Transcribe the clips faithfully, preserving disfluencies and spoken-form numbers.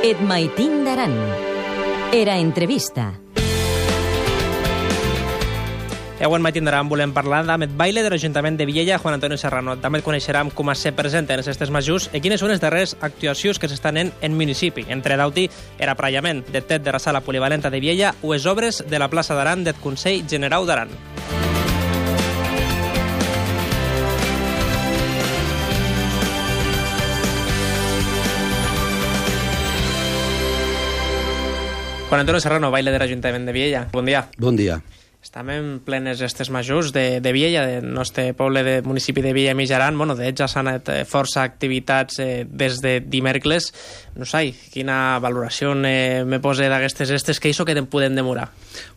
Et maitin d'Aran. Era entrevista. Avui en Maitin d'Aran volem parlar d'Amet Baile de l'Ajuntament de Viella, Juan Antonio Serrano. També et coneixerem com se presenten aquestes majors i quines són les darreres actuacions que s'estan en en municipi. Entre d'auti, era aparellament de tet de la sala polivalenta de Viella o les obres de la plaça d'Aran del Consell Generau d'Aran. Juan Antonio Serrano, Baile de l'Ajuntament de Viella. Bon dia. Bon dia. Estem en plenes estes majors de, de Viella, del nostre poble de municipi de Viella i Mitjaran. Bueno, de hecho, ja s'han anat força activitats eh, des de dimecres. No sé, quina valoració eh, me pose d'aquestes estes que això que te'n podem demorar?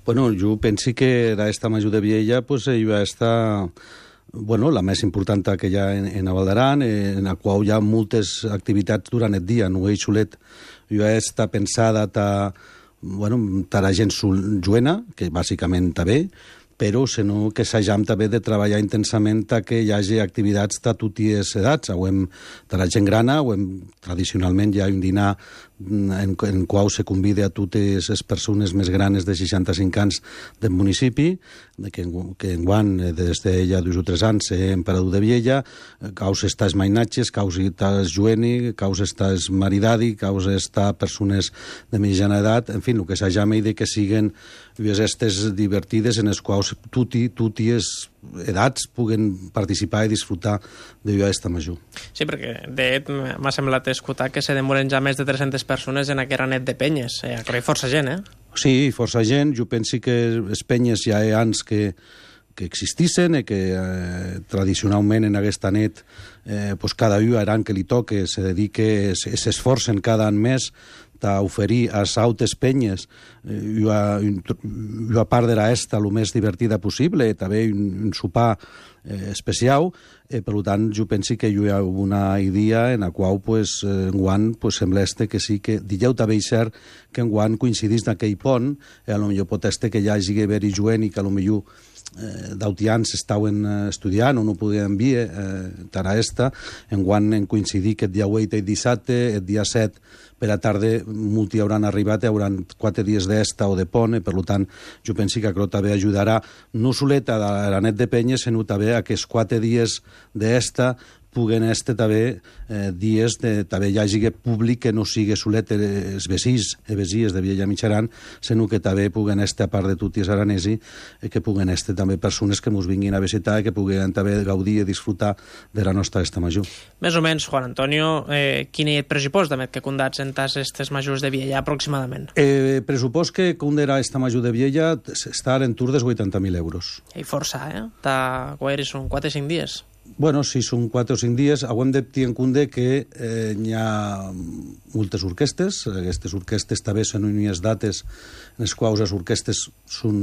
Bueno, jo penso que d'esta major de Viella pues, hi va estar bueno, la més important que hi ha en, en Val d'Aran, en la qual hi ha moltes activitats durant el dia. No és xulet, hi va estar pensada ta bueno, per a gent juena, que bàsicament està bé, però sinó que s'hagam també de treballar intensament que hi hagi activitats de totes edats. Hem, de la gent grana, hem, tradicionalment hi ha un dinar en, en qual se convida a totes les persones més granes de seixanta-cinc anys del municipi, que, que enguany, des de ja dos o tres anys, és emperador de Viella, caus estàs mainatges, caus estàs jueni, caus estàs maridadi, caus estàs persones de mitjana edat, en fi, el que s'hagam de que siguen estes divertides en les quals tuti, tuties edats puguen participar i disfrutar de aquesta major. Sí, perquè de fet m'ha semblat escoltar que se demoren ja més de tres-centes persones en aquesta net de penyes. Eh, hi ha força gent, eh? Sí, força gent. Jo penso que les penyes ja hi ha anys que que existissin i que eh, tradicionalment en aquesta net eh, pues cada un aran que li toque se dedique, s'esforcen cada any més a oferir a les altres penyes eh, una part de l'esta el més divertida possible, també un, un sopar eh, especial, eh, per tant jo penso que hi ha una idea en la qual pues, eh, enguany pues, sembla este que sí que dijau també és cert que enguany coincidís d'aquell pont, eh, a lo millor pot este que hi hagi haver-hi juent i que a lo millor eh, d'autians estaven eh, estudiant o no podien enviar eh, tara esta, enguany en coincidir que el dia vuit i dissabte, el dia set per a tarda molti hauran arribat i hauran quatre dies d'esta o de pont, i per tant jo penso que això també ajudarà no solet a la net de penyes, sinó també a que els quatre dies d'esta puguen este també eh, dies de també hi hagi públic que no sigui solet els vecins i vesies de Viella Mitjaran, sinó que també puguen este, a part de tots els aranesi, eh, que puguen este també persones que ens vinguin a visitar i que puguen també gaudir i disfrutar de la nostra festa major. Més o menys, Juan Antonio, eh, quin és el pressupost també que condats en tas estes majors de Viella aproximadament? El eh, pressupost que condarà esta major de Viella està en tur dels vuitanta mil euros. I força, eh? Ta, són quatre o cinc dies. Bueno, si són quatre o cinc dies, hem de tenir en compte que eh, hi ha moltes orquestes. Aquestes orquestes també són unes dates en les quals les orquestes són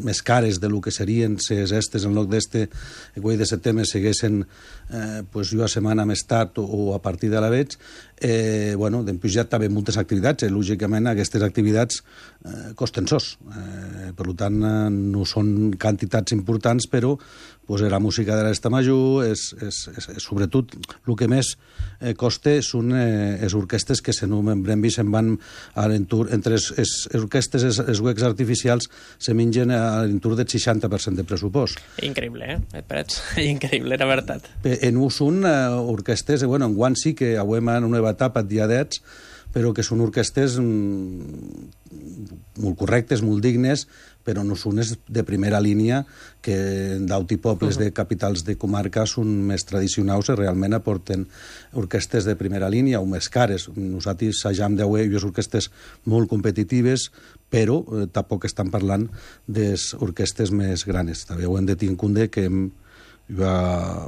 més cares de lo que serien si estes en lloc d'este el vuit de setembre seguessin eh, pues, una setmana més tard o, o a partir de la veig. Eh, bueno, després hi ha també moltes activitats. Eh, lògicament, aquestes activitats eh, costen sos. Eh, per tant, eh, no són quantitats importants, però pues, la música de l'esta major és, és, és, és sobretot el que més eh, costa són eh, les orquestes que se nomenen i se'n van a l'entur, entre les, les orquestes i els, els huecs artificials se mengen a l'entur del seixanta per cent de pressupost. Increïble, eh? Et pareix? Increïble, la veritat. En ús són eh, orquestes, eh, bueno, en guant sí que avui en una nova etapa diadets, però que són orquestes mm, molt correctes, molt dignes, però no són de primera línia, que d'auti pobles de capitals de comarca són més tradicionals i realment aporten orquestes de primera línia o més cares. Nosaltres s'hagam de veure unes orquestes molt competitives, però eh, tampoc estan parlant de les orquestes més granes. També ho hem de tenir en compte que hem hi ha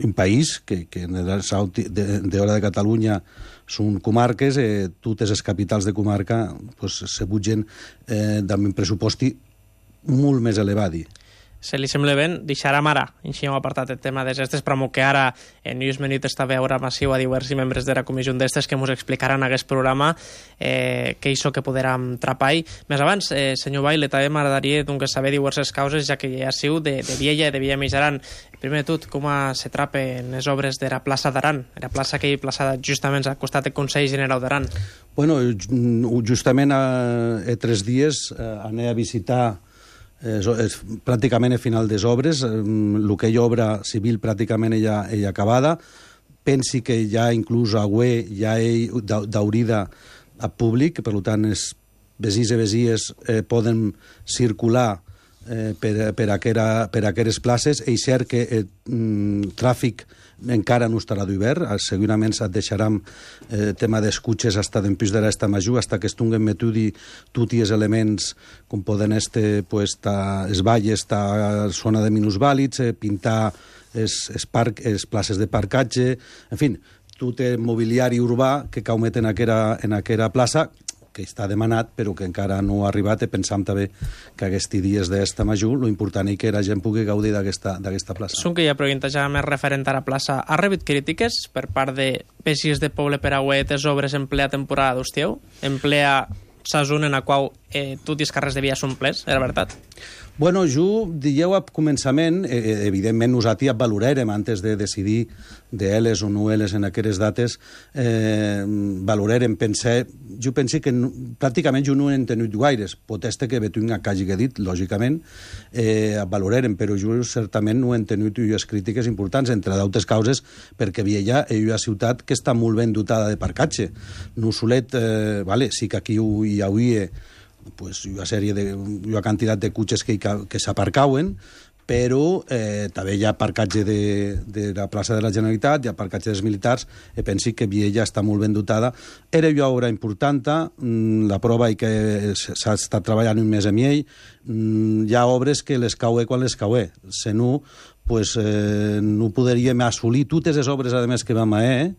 un país que, que d'hora de Catalunya són comarques, eh, totes les capitals de comarca pues, se bugen eh, amb un pressupost molt més elevat. se li sembla bé, deixarem ara, així hem apartat el tema de gestes, però que ara en News Minute està a veure massiu a diversos membres de la comissió d'estes que ens explicaran en aquest programa eh, què és que podrem trapar. Més abans, eh, senyor Baile, també m'agradaria doncs, saber diverses causes, ja que ja siu de, de Viella i de Villa Mitjaran. Primer de tot, com se trapen les obres de la plaça d'Aran, la plaça que hi ha plaçada justament al costat del Consell General d'Aran? Bueno, justament a, a tres dies eh, anem a visitar Eh, és pràcticament a final des obres, eh, el que hi ha obra civil pràcticament ja, ja acabada. Pensi que ja inclús a Güé ja hi d'aurida a públic, per tant, els vesins i vesies eh, poden circular eh, per, per, aquera, per aqueres places. És cert que el eh, tràfic encara no estarà d'hivern, segurament se't deixarem el eh, tema dels cotxes hasta d'empís de l'esta major, hasta que estunguen metudi tots els elements com poden este, pues, ta, es valles, ta zona de minusvàlids, eh, pintar es, es parc, es places de parcatge, en fi, tot el mobiliari urbà que caumet en aquera, en aquera plaça, que està demanat, però que encara no ha arribat, i pensam també que aquests dies d'esta major, lo important és que la gent pugui gaudir d'aquesta plaça. Són que ja pregunta ja més referent a la plaça. Ha rebut crítiques per part de peixis de poble per a les obres en plena temporada d'estiu? En plena sazón en la qual eh, tots els carrers de Villa són plens, era veritat? Bueno, jo dieu a començament, eh, evidentment nosaltres valorarem antes de decidir d'elles o no elles en aquestes dates, eh, valorarem, pensar, jo penso que no, pràcticament jo no he entenut gaires, pot ser que Betunga que hagi dit, lògicament, eh, valorarem, però jo certament no he entenut les crítiques importants, entre d'altres causes, perquè Viella és una ciutat que està molt ben dotada de parcatge. No solet, eh, vale, sí que aquí hi hauria pues, una sèrie de, una quantitat de cotxes que, que s'aparcauen, però eh, també hi ha parcatge de, de la plaça de la Generalitat, hi ha parcatge dels militars, i penso que Viella està molt ben dotada. Era una obra important, la prova és que s'ha estat treballant un mes amb ell, hi ha obres que les caue quan les caue, si no, pues, eh, no podríem assolir totes les obres, a més, que vam a eh,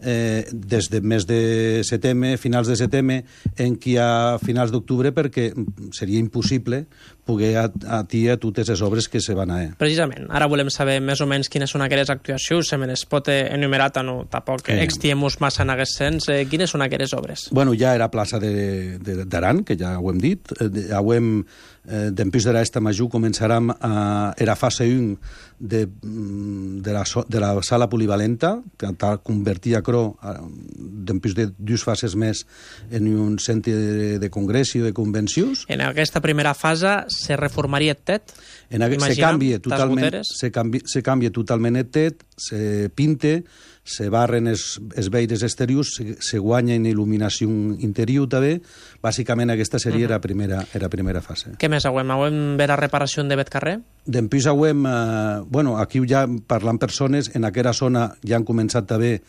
eh, des de mes de setembre, finals de setembre, en qui a finals d'octubre, perquè seria impossible poder atiar totes les obres que se van a eh. Precisament, ara volem saber més o menys quines són aquelles actuacions, se me les pot enumerar, no, tampoc eh. extiem-nos massa en aquest sens. Eh, quines són aquelles obres? Bueno, ja era plaça d'Aran, que ja ho hem dit, ja ho hem eh, d'empís de l'esta major començarem a... era fase un de, de, la, de la sala polivalenta, que convertia Cro d'empís de dues fases més en un centre de, de congrés i de convencions. En aquesta primera fase se reformaria el tet? En aquest, se canvia totalment, se canvia, se canvia totalment el tet, se pinte, se barren els, els veires exteriors, se, se guanya en il·luminació interior també. Bàsicament aquesta seria uh -huh. la primera, era primera fase. Què més hauem? Hauem ver la reparació de bet carrer? D'empís hauem, eh, bueno, aquí ja parlant persones, en aquella zona ja han començat també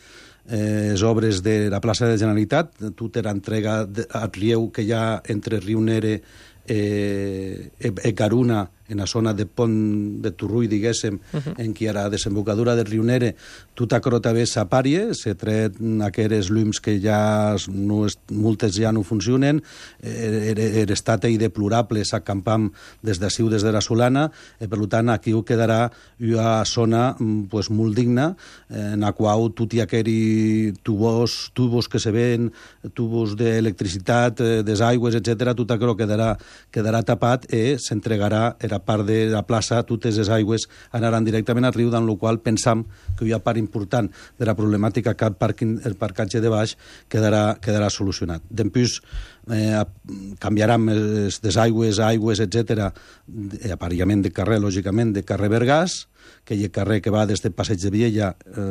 eh, les obres de la plaça de la Generalitat, tota era entrega al riu que hi ha entre Riu Nere eh, e Caruna, en la zona de Pont de Turrull, diguéssim, uh -huh. en qui era la desembocadura del riu Nere, tota crota bé s'apàrie, se tret aqueres llums que ja no, moltes ja no funcionen, l'estat és deplorable, s'acampam des d'ací des de la Solana, eh, per tant aquí quedarà una zona pues, molt digna, eh, en la qual tot i aquells tubos, tubos que se ven, tubos d'electricitat, eh, des aigües, etcètera, tot això quedarà, quedarà tapat i s'entregarà era part de la plaça, totes les aigües anaran directament al riu, en la qual pensam que hi ha part important de la problemàtica que el, parquing, el parcatge de baix quedarà, quedarà solucionat. Després eh, canviaran les desaigües, aigües, etcètera, aparellament de carrer, lògicament, de carrer Bergàs, que hi ha carrer que va des del Passeig de Viella eh,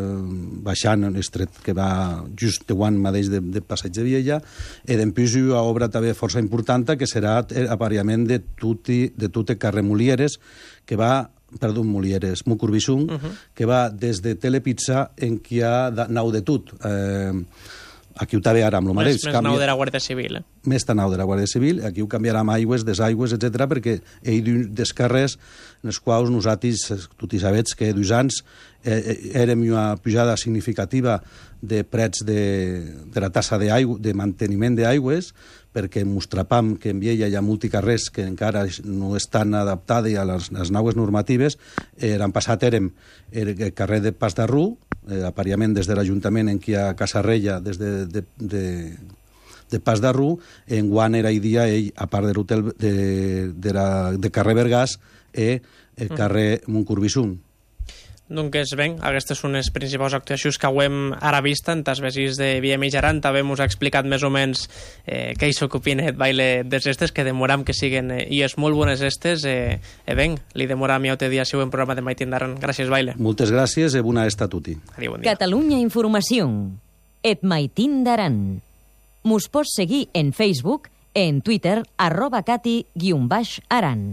baixant un estret que va just de guant mateix de, de Passeig de Viella, i després hi ha obra també força important que serà aparellament de tot, de tot el carrer Molieres, que va perdó, Molieres, Mucurbissung, uh -huh. que va des de Telepizza en qui hi ha nau de tot. Eh, aquí ho també ara amb el mateix. Més, més nou de la Guàrdia Civil. Eh? Més nou de la Guàrdia Civil, aquí ho canviarem aigües, desaigües, etcètera, perquè hi ha des carrers en els quals nosaltres, tu hi sabets que dos anys eh, érem una pujada significativa de prets de, de la tassa d'aigua, de manteniment d'aigües, perquè mostrapam que en Viella hi ha multicarrers que encara no estan adaptats a les, les noves normatives. Eh, L'any passat érem el carrer de Pas de Rú, eh, aparellament des de l'Ajuntament en qui hi ha Casarrella, des de, de, de, de Pas de Rú, en guant era i dia ell, a part de l'hotel de, de, la, de carrer Vergàs, eh, el carrer Montcorbissun. Doncs bé, aquestes són les principals actuacions que ho hem ara vist en tas vesis de Via Mitjaran. També us ha explicat més o menys eh, què és el que opina el baile des estes, que demoram que siguen eh, i és molt bones estes. Eh, eh ben, li demoram i altre dia seu en programa de Maitindaran. Gràcies, baile. Moltes gràcies i bona esta a tutti. Adiu, bon dia. Catalunya Informació. Et Maitindaran. Mos pots seguir en Facebook, en Twitter, arroba cati guion baix aran.